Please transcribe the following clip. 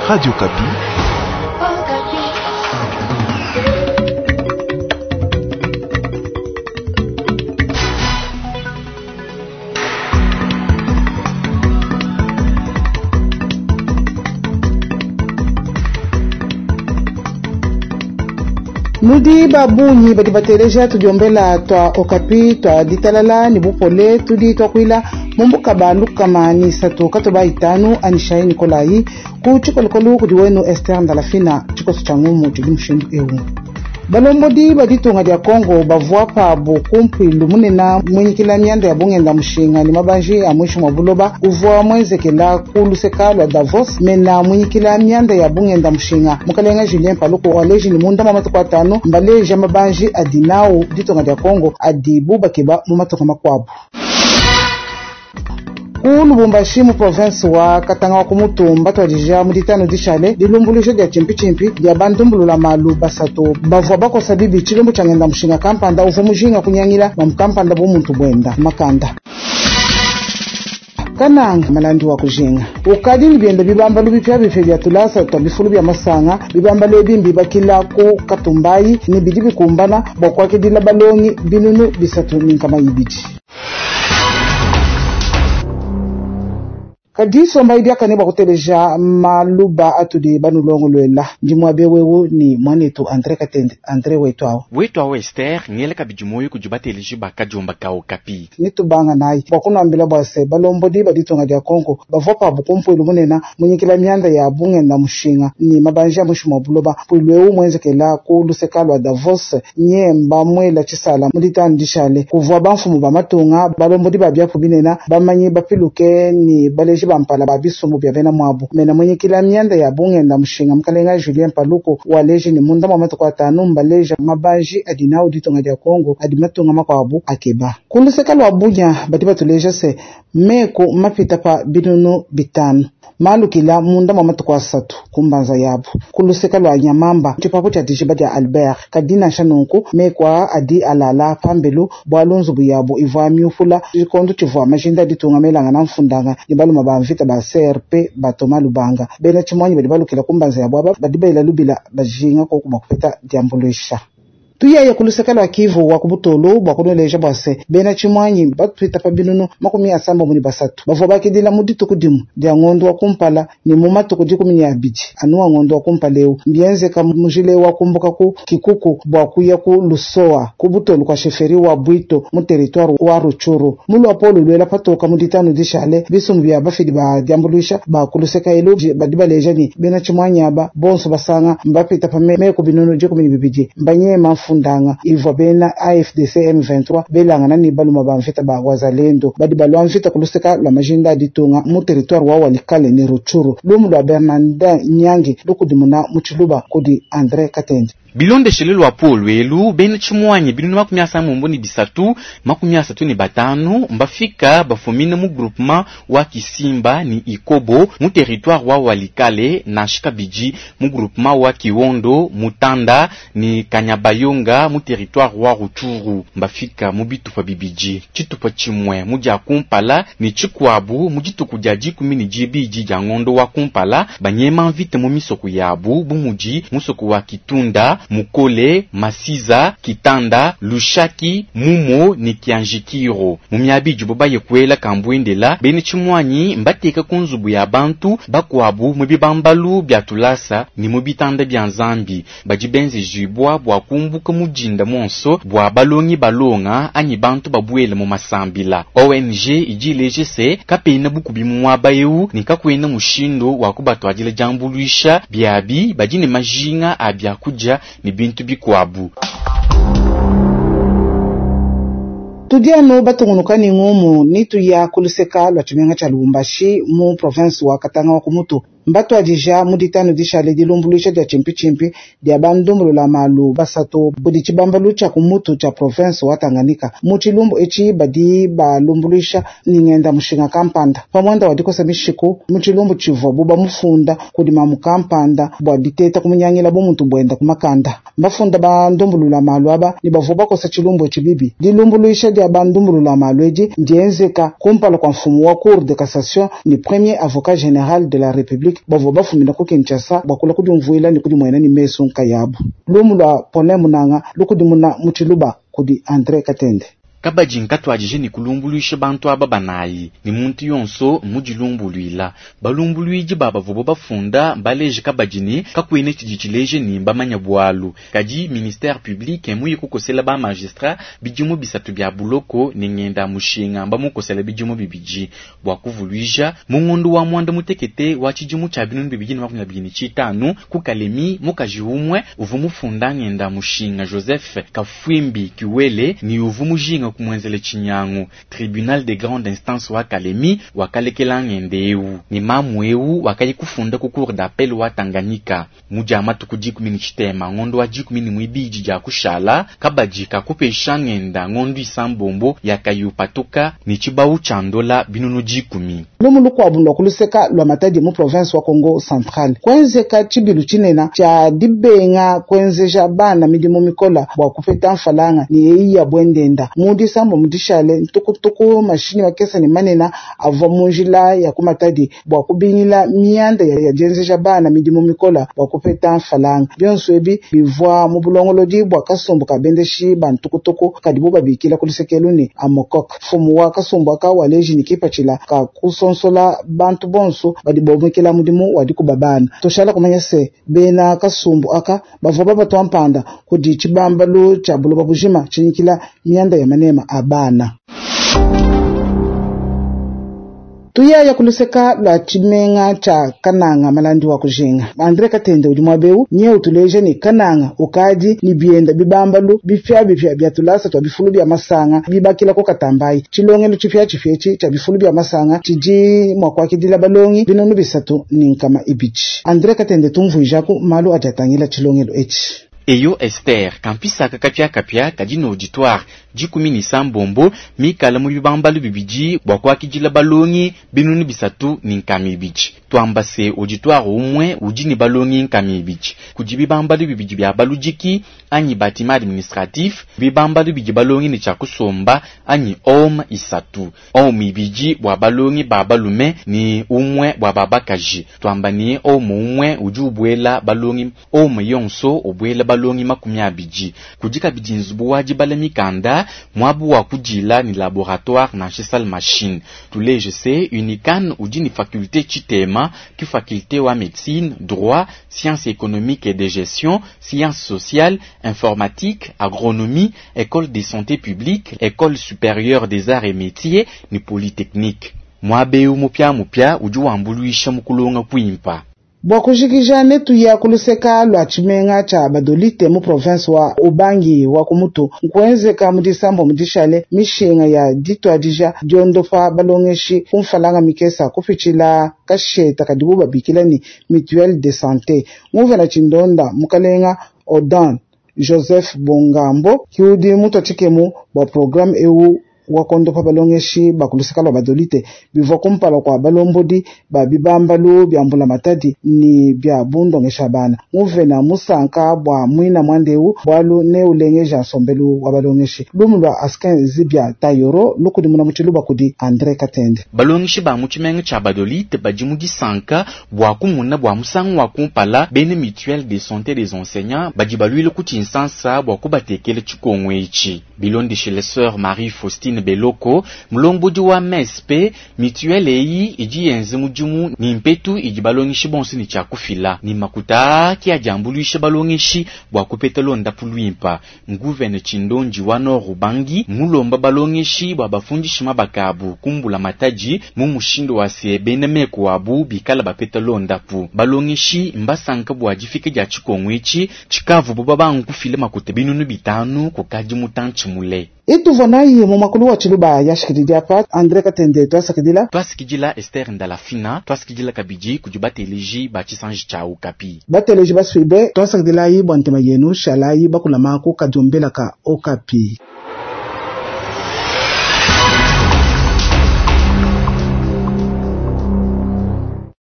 Radio Okapi. Nudi ba bungi badi bateleja tudiombela tua Okapi tua ditalala ne bupole tudi tuakuila mu mbuka ba 300 katoba 5 anishayi Nikolayi ku tshikolokolo kudi wenu Esther Ndalafina tshikoso tshia ngumu tshidi mushindu eu. Balombodi ba ditunga dia Congo bavua pabu ku mpuilu munene muinyikila mianda ya bungenda mushinga ne mabanji a muinshi mua buloba uvua muenzekela ku luseka lua Davos mena muinyikila mianda ya bungenda mushinga. Mukalenga Julien Paluku waleji ne munda mwa matuku atanu mbaleja mabanji adi nawu ditunga dia Congo adibu bakeba mu matuku makuabu. Ku Lubumbashi mu province wa Katanga wa Kumutumba twalija mu ditano dishale dilumbuluisha dia chimpitshimpi dia bandumbulula malu basatu bavua bakosa bibi tshilumbu tshia ngenda mushinga kampanda uvua mujinga kunyangila mamu kampanda bu muntu bwenda makanda. Kananga malandi wa kujinga ukadi ni bienda bibambalu bipya bipya bya tulasa twa bifulu bya masanga bibambalu ebi mbibakila ku katumbayi ni bidi bikumbana bua kuakidila balongi binunu bisatu ni nkama ibidi. Kadi somba idiakane bua kuteleja maluba atudi banulongoluela ndi muabe wewu ni mwanetu Andre Katende. Andre wetu awo wetu awo Esther ngela kabidi moyo kudi bateleji bakadiomba ka Okapi. Nitubanga nayi bua kunuambila bua se balombodi ba ditunga dia Congo bavua pabu ku mpuilu munene munyikila mianda ya bungenda mushinga ni mabanji a muinshi mua buloba. Mpuilu eu muenzekela ku luseka lua Davos nyemba muela tshisala mu ditanu dishale kuvua bamfumu ba matunga balombodi ba biapu binene bamanyi bapiluke ni baleji ba mpala ba bisumbu bya bena mwabu. Mena munyikila mianda ya bungenda mushinga mukalenga Julien Paluku waleji ni munda mwa matuku atanu mbaleja mabanji adi nawu ditunga dia Congo adi matunga makuabu akeba. Ku luseka lua Bunia badi batuleja se meko mapita pa binunu bitanu malukila munda mwa matuku asatu kumbanza yabu. Ku luseka lua Nyamamba tshipapu tshia dijiba dia Albert kadi nansha nunku meko aa adi alala pambelu bua lunzubu yabu ivua miupula tshikondo tshivua majinda ditunga melanga na mfundanga ni baluma ba mvita ba CRP ba Thomas Lubanga. Bena tshimuanyi badi balukila kumbanza yabu aba badi bela lubila bajinga koku bua kupeta diambuluisha. Tuyaya ku luseka lua Kivu wa kubutolo bua kunuleja bua se bena tshimuanyi batwita pa binunu 33 bavua bakidila mu dituku dimue dia ngondo wa kumpala ni mu matuku 12 anu wa ngondo wa kumpala eu mbienzeka mujile wa kumbuka ku Kikuku bua kuya ku Lusoa ku butolo kwa sheferi wa Bwito mu territoire wa Rutshuru. Mulu wa Paul Lwela patoka mu ditanu dishale bisumbu bya bafidi ba diambuluisha ba ku luseka elu badi baleja ni bena tshimuanyi aba bonso basanga mbapita pa meko binunu 12 mbanyema mfundanga ivua bena AFDC M23 belangana ni baluma ba mvita ba wazalendo badi balwa mvita ku luseka lwa majinda ditunga mu territoire wa Walikale ni Rutshuru. Lumu lwa Bernardin Nyangi lukudimuna mu Tshiluba kudi Andre Katende. Bilondeshele lwa Paul elu bena tshimuanyi binunu 33 35 mbafika bafumine mu groupement wa Kisimba ni Ikobo mu territoire wa Walikale na Shikabiji mu groupement wa Kiwondo Mutanda ni Kanyabayonga mu territoire wa Rutshuru. Mbafika mu bitupa bibiji tshitupa tshimwe mu dia kumpala ni tshikuabu mu dituku dia dikumi ni dibidi dia ngondo wa kumpala banyema mvita mu misoko yabu bu mudi musoko wa Kitunda Mukole, Masiza, Kitanda, Lushaki, Mumo ni Kianjikiro. Mu miabi idibo baye kuela kambwendela bene tshimuanyi mbateka ku nzubu ya bantu bakuabu mu bibambalu bya tulasa ni mu bitanda bya Nzambi. Badi benzejibwa bua kumbuka mudinda monso bua balongi balonga anyi bantu babuele mu masambila. ONG idi ileje se kapena bukubi mu muaba eu ni kakuena mushindu wa kubatwadila diambuluisha biabi badi ne majinga a biakudia ni bintu bikuabu. Tudi anu batungunuka ni ngumu nitu ya kuluseka lwa tshimenga tshia Lubumbashi mu province wa Katanga wa Kumutu. Mbatwadija mu ditanu dishale dilumbuluisha dia chimpitshimpi dia bandumbulula malu basatu budi tshibambalu tshia Kumutu tshia province wa Tanganyika. Mu tshilumbu etshi badi balumbuluisha ni ngenda mushinga kampanda pamwenda wa dikosa mishiku mu tshilumbu tshivua buba mufunda kudi mamu kampanda bua diteta kumunyangila bu muntu bwenda kumakanda. Mbafunda bandumbulula malu aba ni bavua bakosa tshilumbu etshi bibi. Dilumbuluisha dia bandumbulula malu edi ndienzeka kumpala kwa mfumu wa Cour de cassation ni premier avocat général de la République. Public bavua bafumina ku Kinshasa bua kulua kudiumvuila ne kudimuena ne mesu nkayabu. Lumu lua Paulin Munanga lukudimuna mu tshiluba kudi Andre Katende. Kabadi nkatuadije ne kulumbuluisha bantu aba banayi ne muntu yonso mudilumbuluila. Balumbuluidi ba bavua bafunda baleje kabadi ne kakuena tshidi tshileje ne bamanya bualu. Kadi ministère public muye kukosela ba magistrat bidimu 3 bia buloko ne ngenda mushinga bamukosela bidimu 2 bua kuvuluija mu ngondo wa mwanda mutekete wa tshidimu tshia binunu bibidi ne makumi abidi ne tshitanu ku Kalemi mukaji umwe uvua mufunda ngenda mushinga Joseph Kafwimbi Kiwele ni uvua mujinga kumwenzele tshinyangu. Tribunal de grande instance wa Kalemi wakalekela ngende eu ni mamu eu wakayi kufunda ku cour d'appel wa Tanganyika muja matuku dikumi ni tshitema ngondo wa dikumi ni mwibidi dia kushala kabadi kakupesha ngenda ngondo isambombo yakayupatuka ni tshibau tsha ndola binunu dikumi. Lumu lukuabu lwa kuluseka lwa Matadi mu province wa Congo Central kwenzeka tshibilu tshinena tshia dibenga kwenzeja bana midimu mikola bua kupeta mfalanga ni eyi ya bwendenda mu disambo mudishale ntukutuku mashini makesa ni manena avua mu njila ya ku Matadi bua kubingila mianda ya dienzeja bana midimu mikola bua kupeta mfalanga. Bionso ebi bivua mu bulongolodi bua kasumbu ka bendeshi ba ntukutuku kadibu babikila ku lusekelu ni amokok. Mfumu wa kasumbu aka waleji ni kipatshila ka kusonsola bantu bonso badi bomekela mudimu wa dikuba bana. Toshala kumanya se bena kasumbu aka bavua babatwa mpanda kudi tshibambalu tshia buloba bujima tshinyikila mianda ya manema a bana. Tuyaya kuluseka lwa tshimenga tsha Kananga malandi wa kujinga. Andre Katende udi mwabeu nye utuleje ni Kananga ukadi ni bienda bibambalu bipya bipya bya tulasa twa bifulu bya masanga bibakila ko katambai. Tshilongelo tshipya tshifyechi tsha bifulu bya masanga tshidi mwa kwakidila balongi binunu bisatu ni nkama ibichi. Andre Katende tumvuijaku malu ajatangila tshilongelo echi. Eyo Esther, kampisa kakapya kapya kadino auditoire dikumi ni sambombo mikala mu bibambalu bibidi bua kuakidila balongi binunu bisatu ni nkama ibidi. Twamba se auditoire umwe udi ni balongi nkama ibidi. Kudi bibambalu bibidi bia baludiki anyi bâtiment administratif, bibambalu bidi balongi ni tshia kusomba anyi home isatu. Home ibidi bua balongi ba balume ni umwe bua babakaji. Twamba ni home umwe udi ubuela balongi, home yonso ubuela balongi makumi abidi. Kudi kabidi nzubu wa dibala mikanda, mwabu wa kudila ni laboratoire na salle machine. Tuleje se unican udi ni faculté tshitema ki faculté wa médecine, droit, sciences économiques et de gestion, sciences sociales, informatique, agronomie, école de santé publique, école supérieure des arts et métiers ni polytechnique. Mwabeu mupya mupya udi wambuluisha mukulonga kuimpa. Bua kujikija netu ya kuluseka lwa tshimenga tsha Badolite mu province wa Ubangi wa Kumutu nkuenzeka mu disambo mu dishale mishinga ya ditwadija diondopa balongeshi kumfalanga mikesa kupitshila kasheta kadibu babikila ni mutuelle de santé. Nguvena tshindonda mukalenga Odan Joseph Bongambo kiudi mutu tshikemu bua programme eu wakondopa balongeshi bakuluseka lwa Badolite bivua kumpala kwa balombodi ba bibambalu bya mbula matadi ni bya bundongesha bana. Nguvena musanka bwa mwina mwandeu bwalu ne ulengeja nsombelu wa balongeshi. Lumu lwa Askin Zibia Tayoro lukudi muna mutshiluba kudi Andre Katende. Balongeshi ba mu tshimenga tsha Badolite badi mu disanka bua kumuna bua musangu wa kumpala bene mutuelle de santé des enseignants badi baluile ku tshinsansa bua kubatekela tshikongo etshi. Bilondeshile sœur Marie Faustine Beloko mulombodi wa MSP mutuelle eyi idi yenze mudimu ni mpetu idi balongeshi bonso ni tshia kufila ni makuta ki adiambuluisha balongeshi bua kupeta londapu luimpa. Nguvene Tshindonji wa Nord Ubangi mulomba balongeshi bua bafundishe mabakabu kumbula mataji mu mushindu wa se bena meku abu bikala bapeta londapu. Balongeshi mbasanka bua difika dia tshikongo etshi tshikavu bo babankufile makuta binunu bitanu kukadi mutantshi mule. Ituvua nayi mu makulu wa tshiluba yashikididi apa Andre Katende twasakidila. Twasikidila Esther Ndalafina, twasikidila kabidi kudi bateleji ba tshisanji tshia Okapi. Bateleji baswibe twasakidilayi bua ntema yenu shalayi bakulama ku kadiombela ka Okapi.